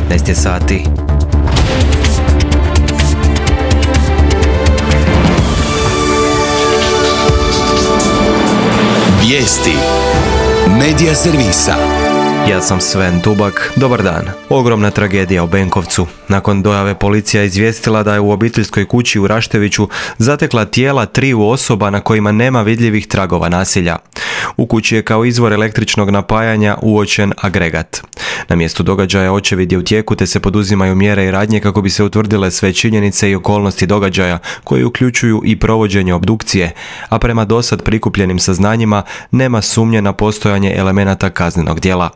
19 je sati. Vijesti Medija servisa. Ja sam Sven Tubak, dobar dan. Ogromna tragedija u Benkovcu. Nakon dojave policija izvijestila da je u obiteljskoj kući u Rašteviću zatekla tijela 3 osoba na kojima nema vidljivih tragova nasilja. U kući je kao izvor električnog napajanja uočen agregat. Na mjestu događaja očevid je u tijeku te se poduzimaju mjere i radnje kako bi se utvrdile sve činjenice i okolnosti događaja koje uključuju i provođenje obdukcije, a prema dosad prikupljenim saznanjima nema sumnje na postojanje elemenata kaznenog djela.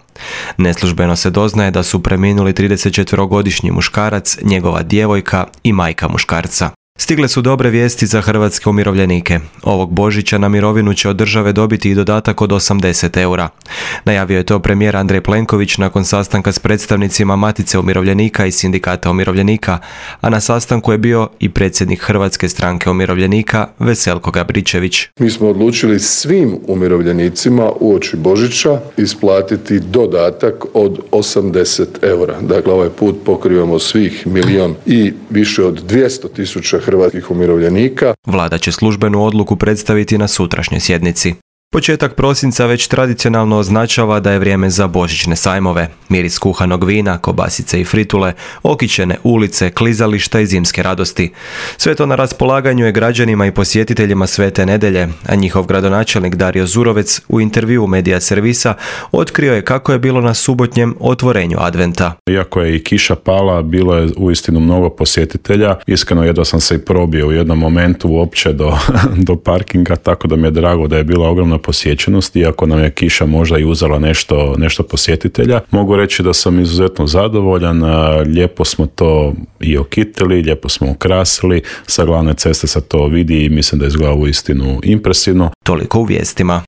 Neslužbeno se doznaje da su preminuli 34-godišnji muškarac, njegova djevojka i majka muškarca. Stigle su dobre vijesti za hrvatske umirovljenike. Ovog Božića na mirovinu će od države dobiti i dodatak od 80 eura. Najavio je to premijer Andrej Plenković nakon sastanka s predstavnicima Matice umirovljenika i Sindikata umirovljenika, a na sastanku je bio i predsjednik Hrvatske stranke umirovljenika Veselko Gabričević. Mi smo odlučili svim umirovljenicima uoči Božića isplatiti dodatak od 80 eura. Dakle, ovaj put pokrivamo svih 1 milijun i više od 200.000 hrvatskih umirovljenika. Vlada će službenu odluku predstaviti na sutrašnjoj sjednici. Početak prosinca već tradicionalno označava da je vrijeme za božićne sajmove. Miris kuhanog vina, kobasice i fritule, okićene ulice, klizališta i zimske radosti. Sve to na raspolaganju je građanima i posjetiteljima Svete Nedelje, a njihov gradonačelnik Dario Zurovec u intervjuu Medija servisa otkrio je kako je bilo na subotnjem otvorenju adventa. Iako je i kiša pala, bilo je uistinu mnogo posjetitelja. Iskreno jedva sam se i probio u jednom momentu uopće do parkinga, tako da mi je drago da je bila ogromna posjećenost, iako nam je kiša možda i uzela nešto posjetitelja. Mogu reći da sam izuzetno zadovoljan, lijepo smo to i okitili, lijepo smo ukrasili, sa glavne ceste se to vidi i mislim da izgleda uistinu impresivno. Toliko u vijestima.